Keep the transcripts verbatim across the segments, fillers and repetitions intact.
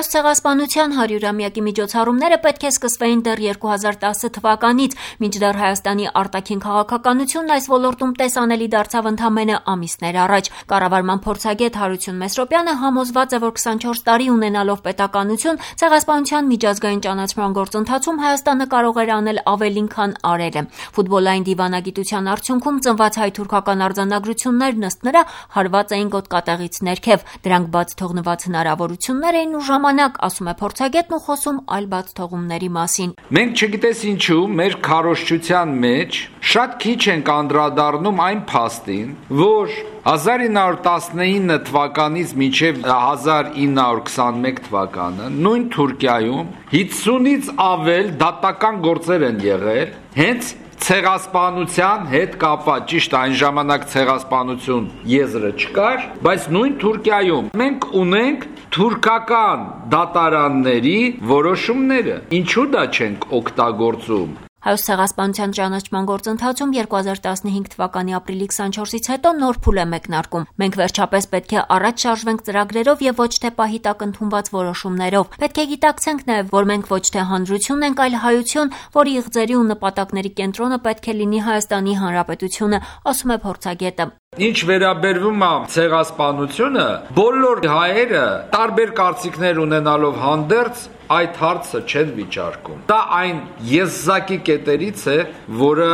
Հայոց ցեղասպանության հարյուրամյակի միջոցառումները պետք է սկսվեին դեռ երկու հազար տասը թվականից, մինչդեռ Հայաստանի արտաքին քաղաքականությունն այս ոլորտում տեսանելի դարձավ ընդամենը ամիսներ առաջ։ Կառավարման փորձագետ Հարություն Մեսրոպյանը համոզված է, որ քսանչորս տարի ունենալով պետականություն, ցեղասպանության միջազգային ճանաչման գործընթացում Հայաստանը կարող էր անել ավելին, քան արել է։ Ֆուտբոլային դիվանագիտության արդյունքում ծնված հայ-թուրքական արձանագրություններն ըստ նրա հարված էին գոտկատեղից ներքև։ Դրանք բաց թողնված հնարավորություններ էին ու ժամանակ, ասում է փորձագետն ու խոսում այլ բաց թողումների մասին։ Մենք չգիտես ինչու մեր քարոզչության մեջ շատ քիչ ենք անդրադառնում այն փաստին, որ հազար ինը հարյուր տասնինը թվականից մինչև հազար ինը հարյուր քսանմեկ թվականը նույն Թուրքիայում հիսունից ավել դատական գործեր են եղել հենց ցեղասպանության հետ կապված, ճիշտ այն ժամանակ ցեղասպանություն եզրը չկար, բայց նույն Թուրքիայում մենք ունենք թուրքական դատարանների որոշումները, ինչու դա չենք օգտագործում։ Հայոց ցեղասպանության ճանաչման գործընթացում երկու հազար տասնհինգ թվականի ապրիլի քսանչորսից հետո նոր փուլ է մեկնարկում։ Մենք վերջապես պետք է առաջ շարժվենք ծրագրերով եւ ոչ թե պահի տակ ընդունված որոշումներով։ Պետք է գիտակցենք նաեւ, որ մենք ոչ թե հանրություն ենք, այլ հայություն, որի իղձերի ու նպատակների կենտրոնը պետք է լինի Հայաստանի Հանրապետությունը, ասում է փորձագետը։ Ինչ վերաբերվում է ցեղասպանությունը, բոլոր հայերը տարբեր կարծիքներ ունենալով հանդերձ այդ հարցը չեն վիճարկում։ Դա այն եզակի կետերից է, որը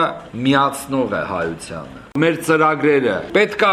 միացնող է հայությանը։ Մեր ծրագրերը պետքա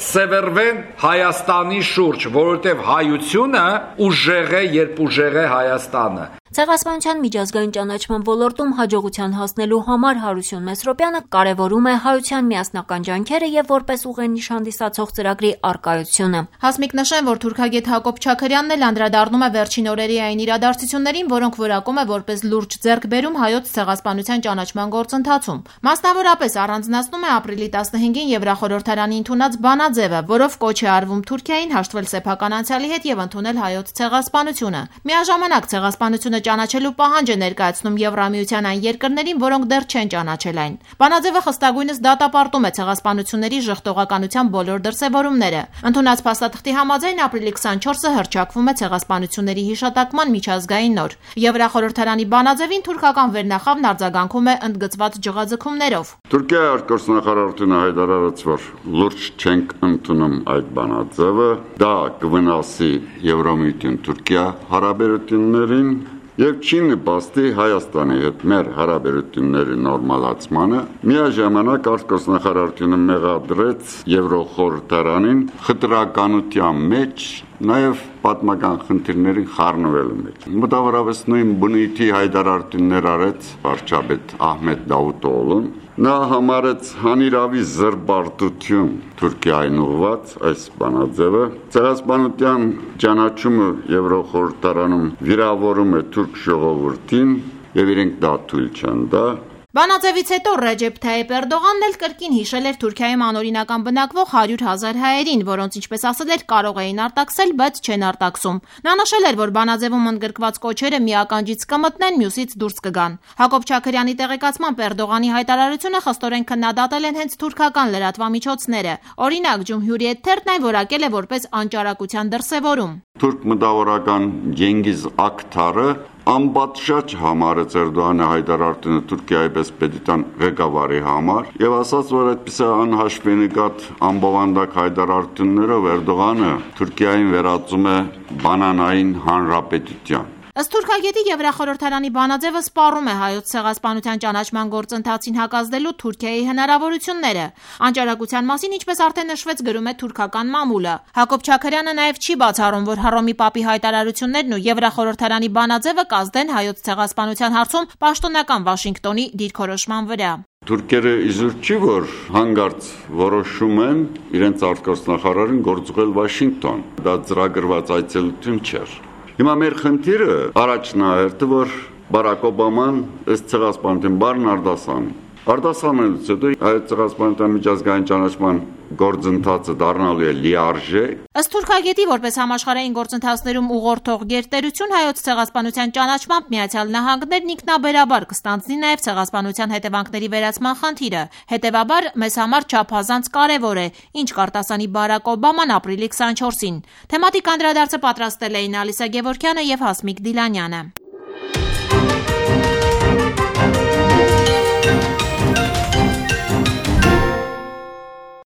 սևեռվեն Հայաստանի շուրջ, որովհետև հայությունը ուժեղ է, երբ ուժեղ է Հայաստանը։ Ցեղասպանության միջազգային ճանաչման ոլորտում հաջողության հասնելու համար Հարություն Մեսրոպյանը կարևորում է հայության միասնական ջանքերը եւ որպես ուղենիշ հանդիսացող ծրագրի առկայությունը։ Հասմիկ նշեն, որ թուրքագետ Հակոբ Չաքարյանն էլ անդրադառնում է վերջին օրերի այն իրադարձություններին, որոնք որակում է որպես լուրջ ձեռքբերում հայոց ցեղասպանության ճանաչման գործընթացում։ Մասնավորապես առանձնացնում է ապրիլի տասնհինգին Եվրախորհրդարանի ընդունած բանաձևը, որով կոչ է արվում Թուրքիային հաշտվել սեփական անցյալի հետ եւ ընդունել հայոց ցեղասպանությունը։ Միաժամանակ ցեղասպանությունը ճանաչելու պահանջ է ներկայացնում Եվրամիության այն երկրներին, որոնք դեռ չեն ճանաչել այն։ Բանաձևը խստագույնս դատապարտում է ցեղասպանությունների ժխտողականության բոլոր դրսևորումները։ Ընդունած փաստաթղթի համաձայն ապրիլի քսանչորսը հռչակվում է ցեղասպանությունների հիշատակման միջազգային օր։ Եվրախորհրդարանի բանաձևին թուրքական վերնախավն արձագանքում է ընդգծված ջղաձգումներով։ Թուրքիայի արտգործնախարարությունը հայտարարեց, որ լուրջ չենք ընդունում այդ բանաձևը, դա կվնասի Եվրամիություն Թուրքիա հարաբերություններին եւ չի նպաստի Հայաստանի հետ մեր հարաբերությունների նորմալացմանը։ Միաժամանակ արտգործնախարարությունը մեղադրեց Եվրոխորհրդարանին խտրականության մեջ, նաեւ պատմական խնդիրների խառնվելու մեջ։ Մոտավորապես նույն բնույթի հայտարարություններ արեց վարչապետ Ահմեդ Դավուտօղլուն։ Նա համարեց հանիրավի զրբարտություն Թուրքիային ուղված այս բանաձևը։ Ցեղասպանության ճանաչումը Եվրոխորհրդարանում վիրավորում է թուրք ժողովրդին եւ իրենք դա թույլ չեն տա։ Բանաձևից հետո Ռեջեփ Թայիփ Էրդողանն էլ կրկին հիշել էր Թուրքիայում անօրինական բնակվող հարյուր հազար հայերին, որոնց ինչպես ասել էր կարող էին արտաքսել, բայց չեն արտաքսում։ Նա նշել էր, որ բանաձևում ընդգրկված կոչերը մի ականջից կմտնեն, մյուսից դուրս կգան։ Հակոբ Չաքարյանի տեղեկացմամբ Էրդողանի հայտարարությունը խստորեն քննադատել են հենց թուրքական լրատվամիջոցները։ Օրինակ Ջումհուրի թերթն այն որակել է որպես անճարակության դրսևորում։ Թուրք մտավորական Ջենգիզ Ակթարը անպատշաճ համարեց Էրդողանի հայտարարությունը Թուրքիայի պես պետության ղեկավարի համար եւ ասաց, որ այդպես անհաշվենկատ անբովանդակ հայտարարություններով Էրդողանը Թուրքիային վերածում է բանանային հանրապետության։ Ըստ թուրքագետի Եվրախորհրդարանի բանաձևը սպառում է հայոց ցեղասպանության ճանաչման գործընթացին հակազդելու Թուրքիայի հնարավորությունները։ Անճարակության մասին, ինչպես արդեն նշվեց, գրում է թուրքական մամուլը։ Հակոբ Չաքարյանը նաև չի բացառում, որ Հռոմի Պապի հայտարարություններն ու Եվրախորհրդարանի բանաձևը կազդեն հայոց ցեղասպանության հարցում պաշտոնական Վաշինգտոնի դիրքորոշման վրա։ Թուրքերը իզուր չի, որ հանգարց որոշում են իրենց արտգործնախարարին գործուղել Վաշինգտոն։ Դա ծրագրված այցելություն չէր։ Հիմա մեր խնդիրը առաջնահերթը, որ Բարակ Օբաման ըստ ցեղասպանության բառն արդասան Արտասանելուց հետո Հայոց ցեղասպանության միջազգային ճանաչման գործընթացը դառնալու է լիարժեք։ Ըստ թուրքագետի, որպես համաշխարհային գործընթացներում ուղղորդող գերտերություն Հայոց ցեղասպանության ճանաչմամբ Միացյալ Նահանգներն ինքնաբերաբար կստանձնի նաև ցեղասպանության հետևանքների վերացման խնդիրը։ Հետևաբար, մեզ համար չափազանց կարևոր է, ինչ կարտասանի Բարակ Օբաման ապրիլի քսանչորսին։ Թեմատիկ անդրադարձը պատրաստել էին Ալիսա Գևորգյանը եւ Հասմիկ Դիլանյանը։